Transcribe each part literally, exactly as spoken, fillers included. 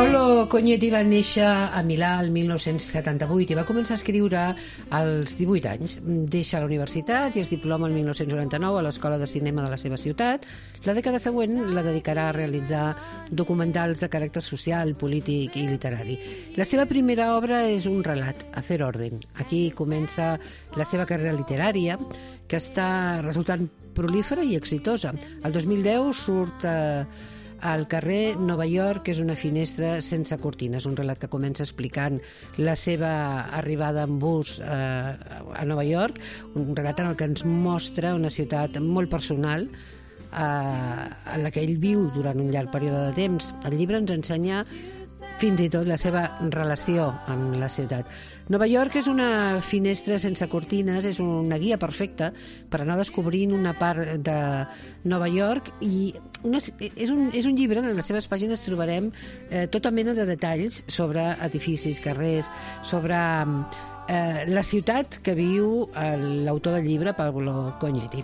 Paolo Cognetti va néixer a Milà el mil nou-cents setanta-vuit i va començar a escriure als divuit anys. Deixa la universitat i es diploma el mil nou-cents noranta-nou a l'Escola de Cinema de la seva ciutat. La dècada següent la dedicarà a realitzar documentals de caràcter social, polític i literari. La seva primera obra és un relat, Hacer orden. Aquí comença la seva carrera literària, que està resultant prolífera i exitosa. El dos mil deu surt eh, al carrer Nova York, que és una finestra sense cortines, un relat que comença explicant la seva arribada en bus eh, a Nova York, un relat en el que ens mostra una ciutat molt personal eh, en la que ell viu durant un llarg període de temps. El llibre ens ensenya fins i tot la seva relació amb la ciutat. Nova York és una finestra sense cortines, és una guia perfecta per anar descobrint una part de Nova York i una, és, un, és un llibre en les seves pàgines trobarem eh, tota mena de detalls sobre edificis, carrers, sobre eh, la ciutat que viu l'autor del llibre, Paolo Cognetti.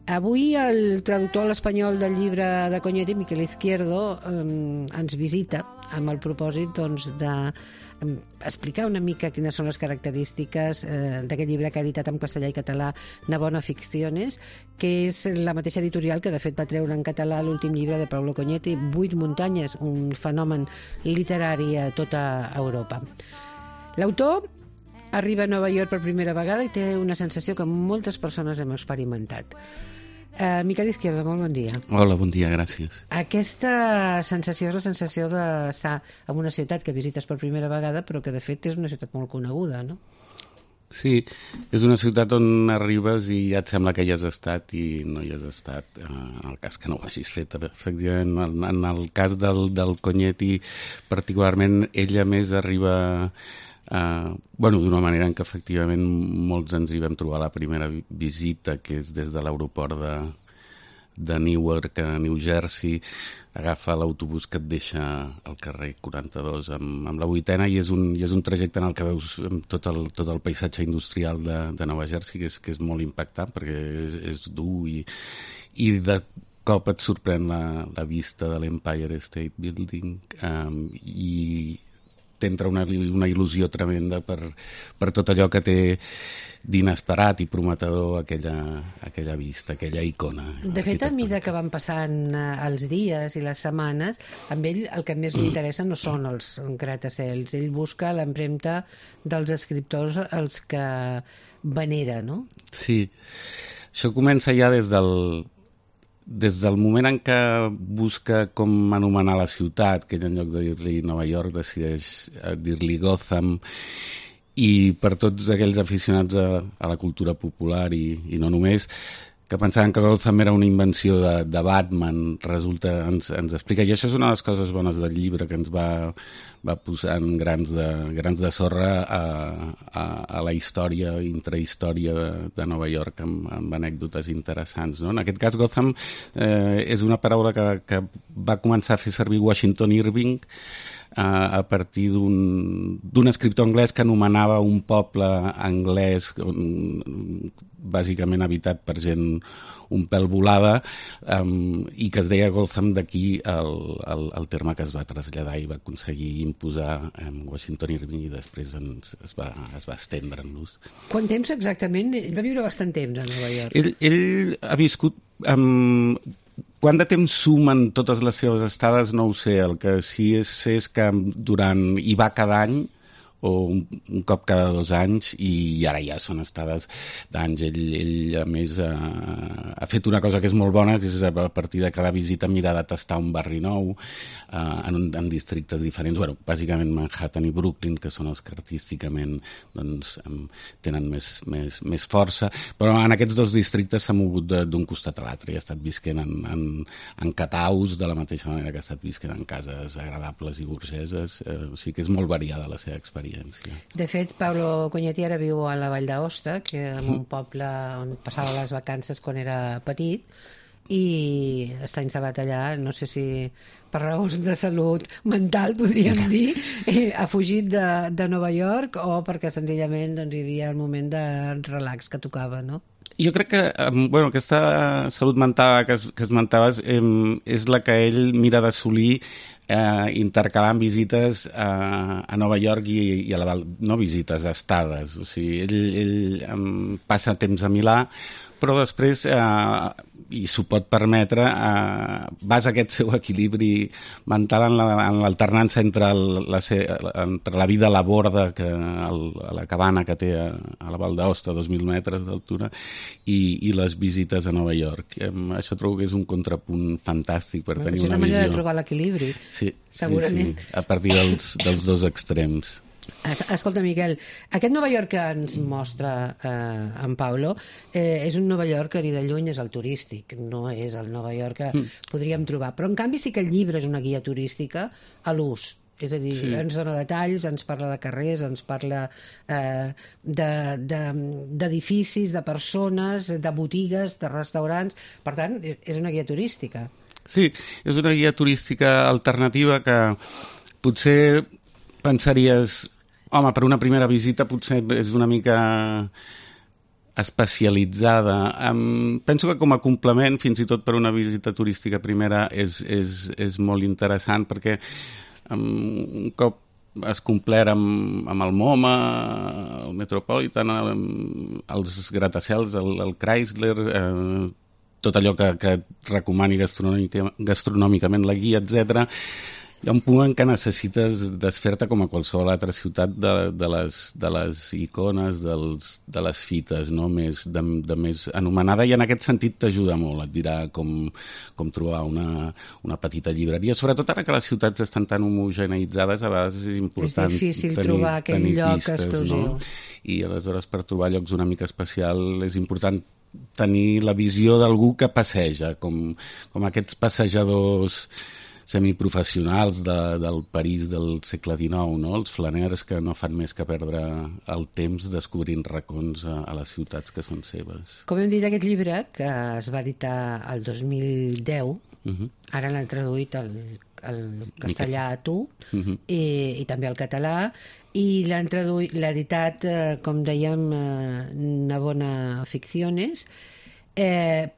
Avui el traductor a l'espanyol del llibre de Cognetti, Miquel Izquierdo, eh, ens visita amb el propòsit doncs, de eh, explicar una mica quines són les característiques eh, d'aquest llibre que ha editat en castellà i català Navona Ficciones, que és la mateixa editorial que de fet va treure en català l'últim llibre de Paolo Cognetti, Vuit muntanyes, un fenomen literari a tota Europa. L'autor arriba a Nova York per primera vegada i té una sensació que moltes persones hem experimentat. Uh, Miquel Izquierdo, molt bon dia. Hola, bon dia, gràcies. Aquesta sensació és la sensació d'estar en una ciutat que visites per primera vegada, però que de fet és una ciutat molt coneguda, no? Sí, és una ciutat on arribes i ja et sembla que hi has estat i no hi has estat, en el cas que no ho hagis fet. Efectivament, en el cas del, del Cognetti, particularment, ella més arriba... Uh, bueno, d'una manera en què efectivament molts ens hi vam trobar la primera visita, que és des de l'aeroport de, de Newark a New Jersey, agafa l'autobús que et deixa al carrer quaranta-dos amb, amb la vuitena i és, un, i és un trajecte en el que veus tot el, tot el paisatge industrial de, de Nova Jersey, que és, que és molt impactant perquè és, és dur i, i de cop et sorprèn la, la vista de l'Empire State Building um, i t'entra una, una il·lusió tremenda per, per tot allò que té d'inesperat i prometedor aquella, aquella vista, aquella icona. De fet, a mesura que van passant els dies i les setmanes, amb ell el que més li interessa no són els gratacels. Ell busca l'empremta dels escriptors als que venera, no? Sí. Això comença ja des del... Des del moment en què busca com anomenar la ciutat, que ell en lloc de dir-li Nova York decideix dir-li Gotham, i per tots aquells aficionats a, a la cultura popular i, i no només, que pensaven que Gotham era una invenció de, de Batman, resulta, ens, ens explica, i això és una de les coses bones del llibre, que ens va, va posant grans de, grans de sorra a, a, a la història, intrahistòria de, de Nova York, amb, amb anècdotes interessants. No? En aquest cas, Gotham eh, és una paraula que, que va començar a fer servir Washington Irving a partir d'un escriptor anglès que anomenava un poble anglès on, bàsicament habitat per gent un pèl volada um, i que es deia Gotham, d'aquí el, el, el terme que es va traslladar i va aconseguir imposar um, Washington Irving i després ens, es, va, es va estendre en l'ús. Quant temps exactament? Ell va viure bastant temps a Nova York. Ell, ell ha viscut... Um, Quant de temps sumen totes les seves estades no ho sé, el que sí és, és que durant hi va cada any o un, un cop cada dos anys i ara ja són estades d'anys. Ell, ell a més ha, ha fet una cosa que és molt bona, que és a partir de cada visita mirar de tastar un barri nou eh, en, en districtes diferents, bueno, bàsicament Manhattan i Brooklyn, que són els que artísticament doncs, tenen més, més, més força, però en aquests dos districtes s'ha mogut d'un costat a l'altre i ha estat visquent en, en, en cataus de la mateixa manera que ha estat visquent en cases agradables i burgeses, eh, o sigui que és molt variada la seva experiència. De fet, Paolo Cognetti ara viu a la Vall d'Aosta, que és un poble on passava les vacances quan era petit, i està instal·lat allà. No sé si per raons de salut mental, podríem dir, eh, ha fugit de, de Nova York o perquè senzillament doncs, hi havia el moment de relax que tocava, no? Jo crec que bueno, aquesta salut mental que, es, que esmentaves eh, és la que ell mira d'assolir eh, intercalant visites a, a Nova York i, i a la no visites, estades. O sigui, ell, ell eh, passa temps a Milà, però després, eh, i s'ho pot permetre, eh, vas a aquest seu equilibri mental en l'alternança entre, el, la, entre la vida a la borda, que, el, a la cabana que té a, a la Val d'Aosta, a dos mil metres d'altura, i, i les visites a Nova York. Eh, això trobo que és un contrapunt fantàstic per bueno, tenir una, una visió. És una manera de trobar l'equilibri, sí, segurament. Sí, sí, a partir dels, dels dos extrems. Escolta, Miquel, aquest Nova York que ens mostra eh, en Paulo eh, és un Nova York que ni de lluny és el turístic, no és el Nova York que mm. podríem trobar, però en canvi sí que el llibre és una guia turística a l'ús. És a dir, sí. ens dona detalls, ens parla de carrers, ens parla eh, d'edificis, de, de, de persones, de botigues, de restaurants. Per tant, és una guia turística. Sí, és una guia turística alternativa que potser pensaries... Home, per una primera visita potser és una mica especialitzada. Um, penso que com a complement, fins i tot per una visita turística primera, és, és, és molt interessant perquè um, un cop es complert amb, amb el MoMA, el Metropolitan, el, els gratacels, el, el Chrysler, eh, tot allò que, que recomani gastronòmica, gastronòmicament la guia, etcètera. Hi ha un punt en què necessites desfer-te com a qualsevol altra ciutat de, de, les, de les icones, dels, de les fites, no? més, de, de més anomenada, i en aquest sentit t'ajuda molt, et dirà com, com trobar una, una petita llibreria. Sobretot ara que les ciutats estan tan homogeneïtzades, a vegades és important és difícil tenir, trobar aquell tenir lloc pistes, exclusiu. No? I aleshores per trobar llocs una mica especial és important tenir la visió d'algú que passeja, com, com aquests passejadors semiprofessionals de, del París del segle dinou, no? Els flaners que no fan més que perdre el temps descobrint racons a, a les ciutats que són seves. Com hem dit, aquest llibre, que es va editar el dos mil deu, uh-huh. ara l'han traduït al, al castellà a tu, uh-huh. i, i també al català, i l'han traduït, l'ha editat, eh, com dèiem, eh, Navona Ficciones, eh,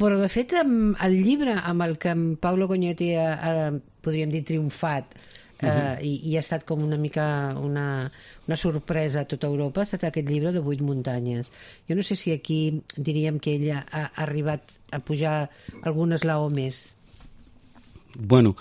però, de fet, el llibre amb el que en Paulo Cognetti ha, ha, podríem dir, triomfat eh, uh-huh. i, i ha estat com una mica una, una sorpresa a tota Europa, ha estat aquest llibre de Vuit muntanyes. Jo no sé si aquí diríem que ella ha, ha arribat a pujar algun esglaó més. Bueno,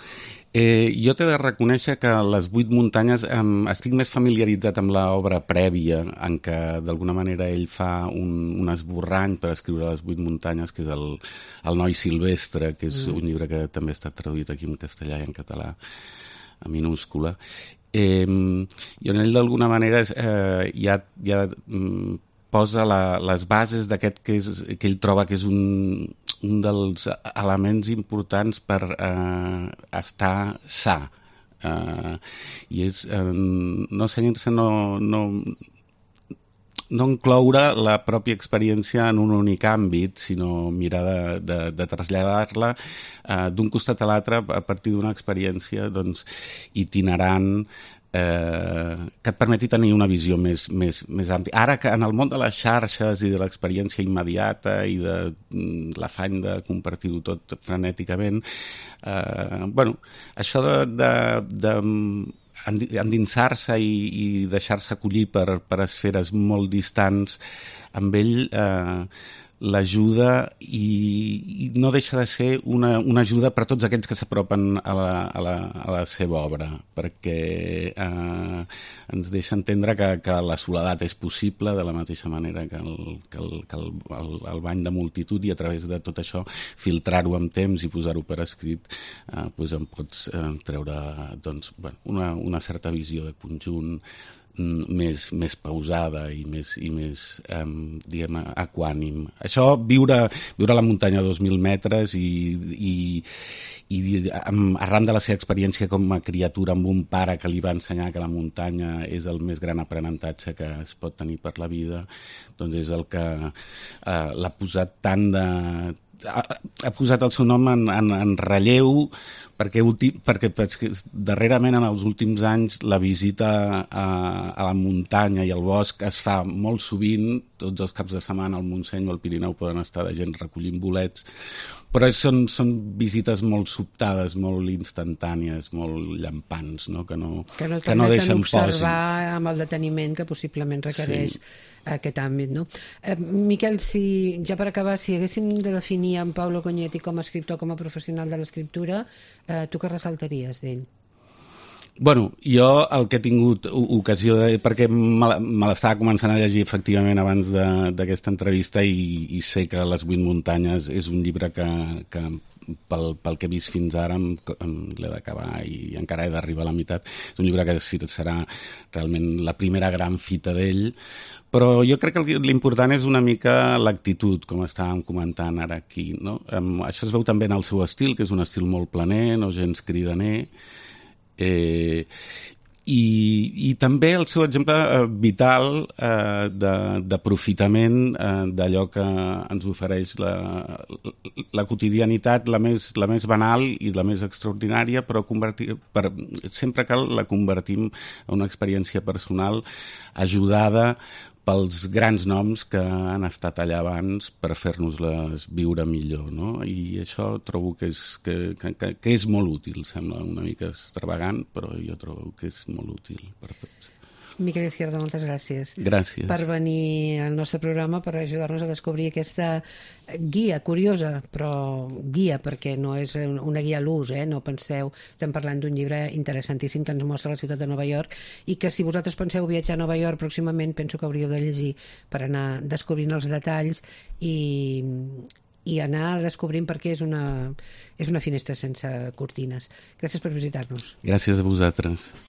eh, jo t'he de reconèixer que les Vuit muntanyes eh, estic més familiaritzat amb l'obra prèvia en què d'alguna manera ell fa un, un esborrany per escriure les Vuit muntanyes, que és el, el Noi silvestre, que és mm. un llibre que també ha estat traduït aquí en castellà i en català a minúscula. Eh, I on ell d'alguna manera eh, ja, ja mm, posa la, les bases d'aquest que, és, que ell troba que és un, un dels elements importants per eh, estar sa. Eh, I és eh, no senyir-se, no, no, no incloure la pròpia experiència en un únic àmbit, sinó mirar de, de, de traslladar-la eh, d'un costat a l'altre a partir d'una experiència doncs, itinerant, Eh, que et permeti tenir una visió més, més, més àmplia. Ara que en el món de les xarxes i de l'experiència immediata i de mm, l'afany de compartir-ho tot frenèticament, eh, bueno, això de, de, de endinsar-se i, i deixar-se acollir per, per esferes molt distants, amb ell eh, l'ajuda i, i no deixa de ser una, una ajuda per a tots aquells que s'apropen a, la, a, la, a la seva obra, perquè eh, ens deixa entendre que, que la soledat és possible de la mateixa manera que el, que el, que el, el, el bany de multitud, i a través de tot això filtrar-ho amb temps i posar-ho per escrit eh, doncs en pots eh, treure doncs, bueno, una, una certa visió de conjunt més, més pausada i més, i més um, diguem, equànim. Això, viure, viure a la muntanya a dos mil metres i, i, i um, arran de la seva experiència com a criatura amb un pare que li va ensenyar que la muntanya és el més gran aprenentatge que es pot tenir per la vida, doncs és el que uh, l'ha posat tant de ha, ha posat el seu nom en, en, en relleu perquè, perquè, perquè darrerament en els últims anys la visita a, a la muntanya i al bosc es fa molt sovint, tots els caps de setmana al Montseny o al Pirineu poden estar de gent recollint bolets, però són, són visites molt sobtades, molt instantànies, molt llampants, no? que no, que no, que no deixen observar posi. Amb el deteniment que possiblement requereix sí. aquest àmbit. No? Eh, Miquel, si, ja per acabar, si haguéssim de definir en Paulo Cognetti com a escriptor, com a professional de l'escriptura, eh, tu què ressaltaries d'ell? Bueno, jo el que he tingut ocasió de... perquè me l'estava començant a llegir efectivament abans d'aquesta entrevista i, i sé que Les vuit muntanyes és un llibre que, que pel, pel que he vist fins ara em, em l'he d'acabar i encara he d'arribar a la meitat. És un llibre que serà realment la primera gran fita d'ell, però jo crec que l'important és una mica l'actitud, com estàvem comentant ara aquí. No? Um, això es veu també en el seu estil, que és un estil molt planer, no gens cridaner, Eh, i, i també el seu exemple eh, vital eh, d'aprofitament eh, d'allò que ens ofereix la, la quotidianitat, la més, la més banal i la més extraordinària, però convertir, per, sempre que la convertim en una experiència personal ajudada pels grans noms que han estat allà abans per fer-nos-les viure millor, no? I això trobo que és, que, que, que és molt útil, sembla una mica extravagant, però jo trobo que és molt útil per tots. Miquel Izquierdo, moltes gràcies. Gràcies. Per venir al nostre programa, per ajudar-nos a descobrir aquesta guia curiosa, però guia, perquè no és una guia a l'ús, eh? No penseu, estem parlant d'un llibre interessantíssim que ens mostra la ciutat de Nova York i que si vosaltres penseu viatjar a Nova York pròximament, penso que hauríeu de llegir per anar descobrint els detalls i, i anar descobrint perquè és una, és una finestra sense cortines. Gràcies per visitar-nos. Gràcies a vosaltres.